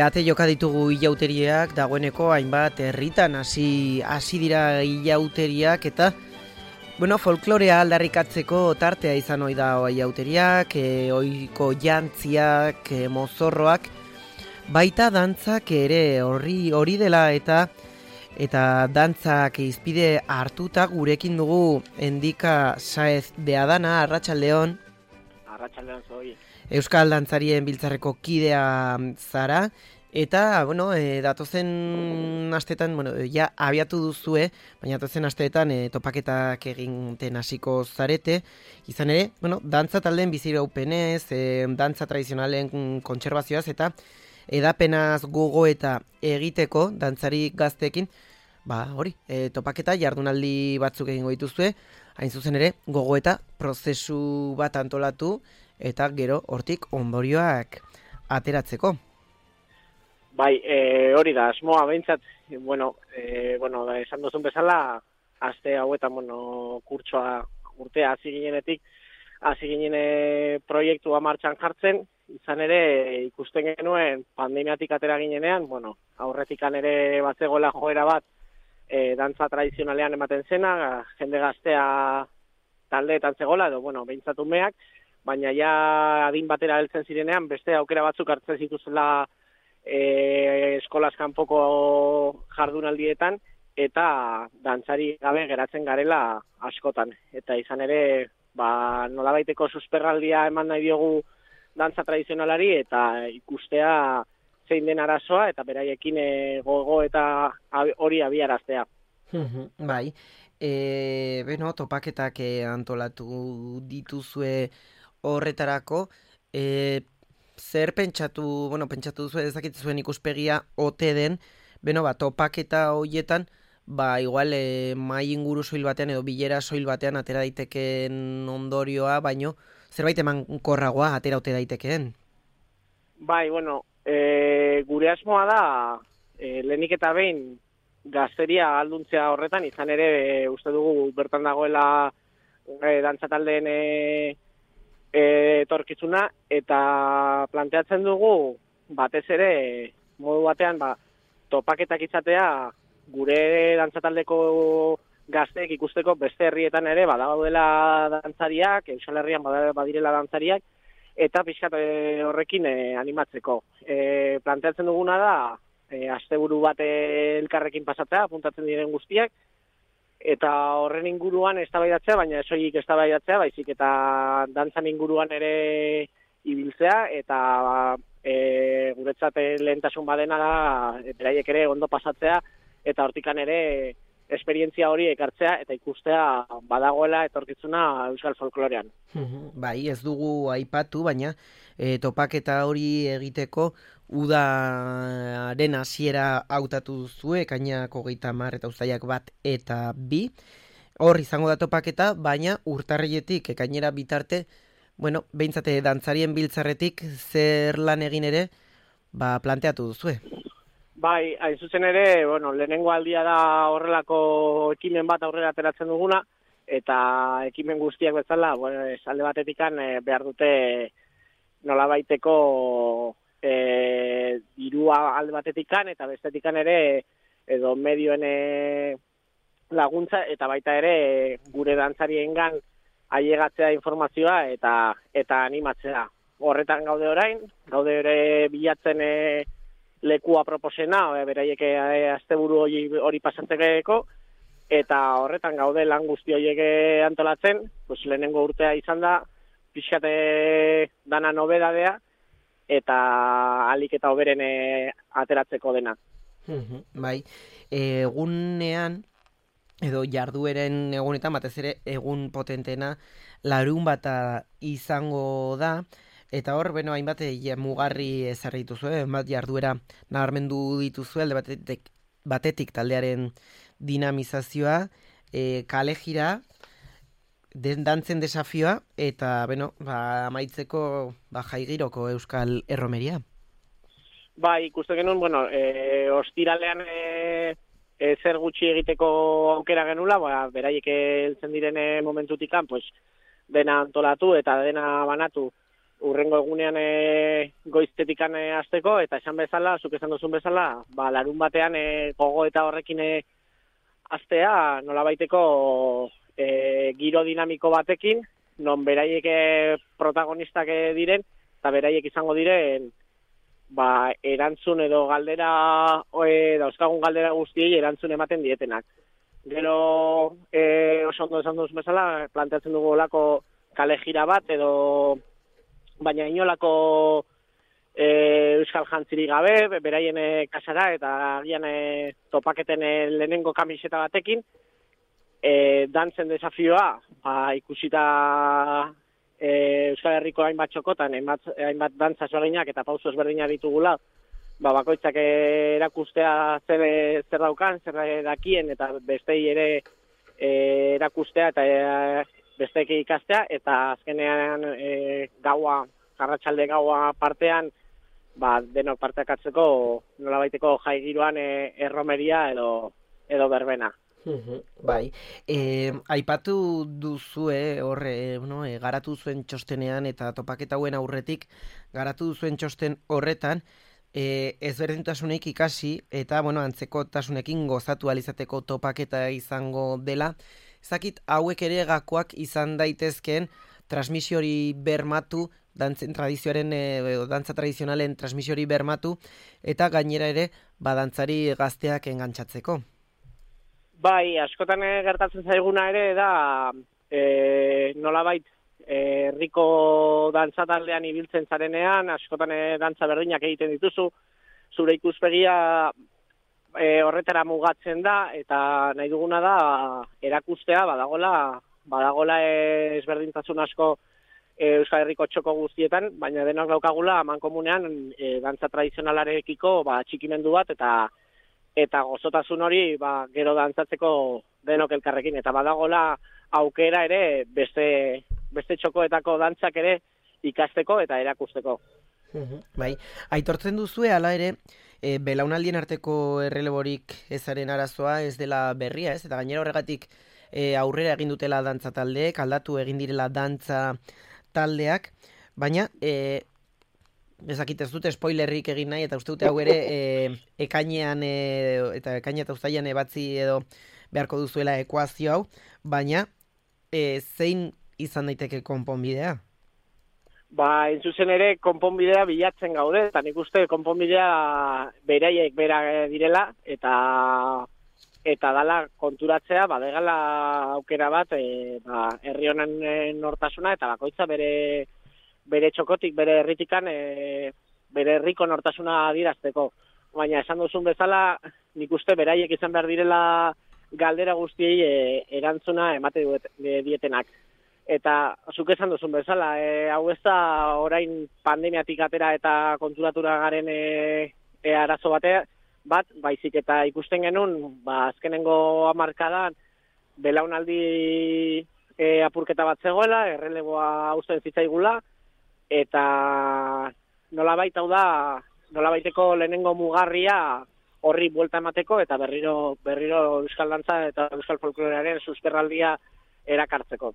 Ate joka ditugu ilauteriak, dagoeneko hainbat herritan hasi dira ilauteriak eta folklorea aldarrikatzeko tartea izan ohi da ilauteriak, ohiko jantziak, mozorroak, baita dantzak ere hori dela eta dantzak izpide hartuta gurekin dugu Endika Saez de Adana. Arratsaldeon. Arratsaldeon zoi. Euskal Dantzarien Biltzarreko kidea zara, eta, datozen astetan, ja abiatu duzue, baina datozen asteetan topaketak eginten hasiko zarete, izan ere, dantza taldeen biziraupenez, dantza tradizionalen kontserbazioaz, eta edapenaz gogoeta egiteko, dantzari gazteekin, topaketa jardunaldi batzuk egingo dituzue, hain zuzen ere, gogoeta prozesu bat antolatu, eta gero hortik ondorioak ateratzeko. Bai, hori da, asmoa behintzat, esan duzun bezala, aste hauetan, kurtsoa urtea hasi ginen proiektua martxan jartzen, izan ere ikusten genuen pandemiatik atera ginenean, aurretikan ere batzegoela joera bat, dantza tradizionalean ematen zena, jende gaztea taldeetan zegoela, edo, behintzat umeak, baina ja adin batera heltzen zirenean, beste aukera batzuk hartzen zituzela eskolaz kanpoko jardunaldietan, eta dantzari gabe geratzen garela askotan. Eta izan ere, nolabaiteko susperraldia eman nahi diogu dantza tradizionalari, eta ikustea zein den arazoa, eta beraiekin gogo eta hori abiaraztea. Bai, topaketak antolatu dituzue horretarako, zer pentsatu duzu ezakituzuen ikuspegia ote den, topaketa horietan, igual mai inguru soil batean edo bilera soil batean atera daitekeen ondorioa, baino zerbait emankorragoa atera ote daitekeen? Bai, gure asmoa da, lehenik eta behin gazteria alduntzea horretan, izan ere uste dugu bertan dagoela dantzataldeen etorkizuna, eta planteatzen dugu batez ere modu batean topaketak izatea gure dantzataldeko gazteek ikusteko beste herrietan ere badaudela dantzariak, Euskal Herrian badirela dantzariak, eta pixkat horrekin animatzeko. Planteatzen duguna da asteburu bat elkarrekin pasatzea, apuntatzen diren guztiak, eta horren inguruan eztabaidatzea, baina ez soilik eztabaidatzea, baizik eta dantzan inguruan ere ibiltzea, eta guretzat lehentasun badena da, beraiek ere ondo pasatzea, eta hortikan ere esperientzia hori ekartzea, eta ikustea badagoela etorkizuna euskal folklorean. Bai, ez dugu aipatu, baina topaketa hori egiteko udaren hasiera hautatu duzue, ekainak 30 eta uztailak 1 eta 2. Hor izango da topaketa, baina urtarriletik ekainera bitarte, behintzate dantzarien biltzarretik zer lan egin ere, planteatu duzue. Bai, hain zuzen ere, lehenengo aldia da horrelako ekimen bat aurrera ateratzen duguna, eta ekimen guztiak bezala, alde batetikan behar dute nolabaiteko dirua alde batetikan, eta bestetikan ere edo medioen laguntza, eta baita ere gure dantzariengan ailegatzea informazioa eta animatzea. Horretan gaude orain, gaude ere bilatzen lekua proposena, beraiek asteburu hori pasatzeko, eta horretan gaude lan guzti horiek antolatzen, lehenengo urtea izan da, pixkate dana nobedadea, eta alik eta hoberen ateratzeko dena. Bai, egunean, edo jardueren egunetan, batez ere egun potentena, larunbata izango da, eta hor, hainbat mugarri ezarri dituzu, hainbat jarduera nabarmendu dituzu, alde batetik taldearen dinamizazioa, kale jira, dantzen desafioa, eta, amaitzeko jaigiroko euskal erromeria. Bai, ikusten genuen, bueno, ostiralean zer gutxi egiteko aukera genula, beraiek heltzen diren momentutikan, pues, dena antolatu eta dena banatu urrengo egunean goiztetikan hasteko, eta esan bezala, zuk esan duzun bezala, larun batean gogo eta horrekin hastea nolabaiteko giro dinamiko batekin, non beraiek protagonistak diren, eta beraiek izango diren erantzun edo galdera, dauzkagun galdera guztiei erantzun ematen dietenak. Gero, oso ondo esan duz bezala, planteatzen dugu olako kale jira bat, edo baina inolako euskal jantzirik gabe, beraien kasara, eta agian topaketen lehenengo kamiseta batekin, dantzen desafioa, ikusita Euskal Herriko hainbat txokotan, hainbat dantza ezberdinak eta pauso ezberdinak ditugula, bakoitzak erakustea zer daukan, zer dakien, eta bestei ere erakustea eta besteek ikastea, eta azkenean arratsalde gaua partean, denok parteak hartzeko nolabaiteko jai giroan erromeria edo berbena. Bai, aipatu duzue garatu zuen txostenean eta topaketa hauen aurretik garatu duzuen txosten horretan ezberdintasunik ikasi eta antzekotasunekin gozatu alizateko topaketa izango dela. Ezakit hauek ere gakoak izan daitezkeen transmisiori bermatu, dantzen tradizioaren dantza tradizionalen transmisiori bermatu eta gainera ere dantzari gazteak engantzatzeko. Bai, askotan gertatzen zaiguna ere da nolabait herriko dantza taldean ibiltzen zarenean, askotan dantza berdinak egiten dituzu, zure ikuspegia horretara mugatzen da, eta nahi duguna da erakustea badagola ezberdintasun asko Euskal Herriko txoko guztietan, baina denok daukagula amankomunean dantza tradizionalarekiko txikimendu bat eta gozotasun hori gero dantzatzeko denok elkarrekin, eta badagola aukera ere beste txokoetako dantzak ere ikasteko eta erakusteko. Bai, aitortzen duzue hala ere belaunaldien arteko erreleborik ezaren arazoa ez dela berria, ez? Eta gainera horregatik aurrera egin dutela dantza taldeek, aldatu egin direla dantza taldeak, baina ezakit ez dute spoilerrik egin nahi, eta uste dute hau ere ekainean eta uztailean ebatzi edo beharko duzuela ekuazio hau, baina zein izan daiteke konponbidea? Zuzen ere konponbidea bilatzen gaude, eta nik uste konponbidea beraiek bera direla, eta dala konturatzea, badegala aukera bat, herri honen nortasuna, eta bakoitza bere txokotik, bere herritikan, bere herriko nortasuna adierazteko. Baina esan duzun bezala, nik uste beraiek izan behar direla galdera guztiei erantzuna emate dietenak. Eta zuk esan duzun bezala, hau ez da orain pandemiatik atera eta konturatura garen arazo bat, baizik eta ikusten genuen, azkenengo hamarkadan belaunaldi apurketa bat zegoela, erreleboa uzten zitzaigula, eta nolabait hau da, nolabaiteko lehenengo mugarria horri buelta emateko eta berriro euskal dantza eta euskal folklorearen susperraldia erakartzeko.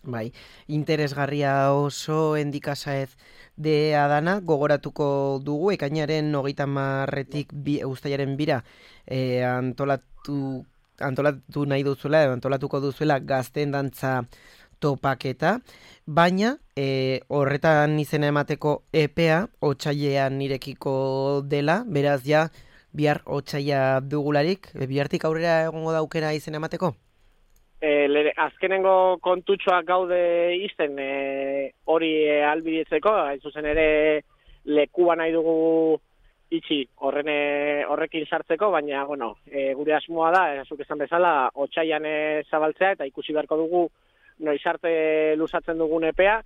Bai, interesgarria oso endikasaez de adana, gogoratuko dugu, ekainaren 30-etik uztailaren 2 antolatu nahi duzuela, antolatuko duzuela gazteen dantza topaketa, baina horretan izena emateko epea otsailean irekiko dela, beraz ja bihar otsaila dugularik, bihartik aurrera egongo da aukera izena emateko? Azkenengo kontutxoak gaude izten hori albidetzeko, hain zuzen ere lekua nahi dugu itxi horrekin sartzeko, baina gure asmoa da, zuk esan bezala, otsailean zabaltzea eta ikusi beharko dugu noiz arte luzatzen dugun epea,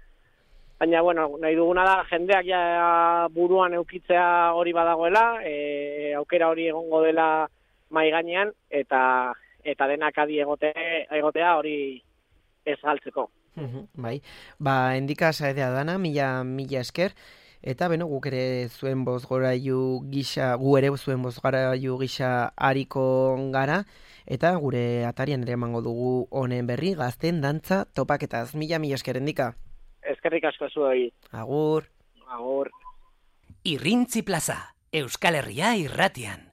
baina nahi duguna da jendeak ja buruan eukitzea hori badagoela, aukera hori egongo dela mahai gainean, eta denak adi egotea hori ez galtzeko. Bai, endika saedea dana, mila esker, Eta beno, guk ere zuen bozgorailu gisa, gu ere zuen bozgorailu gisa hariko gara, eta gure atarian ere emango dugu honen berri, gazten dantza topaketaz. Mila esker Endika. Eskerrik asko zuei. Agur. Agur. Irrintzi plaza, Euskal Herria irratian.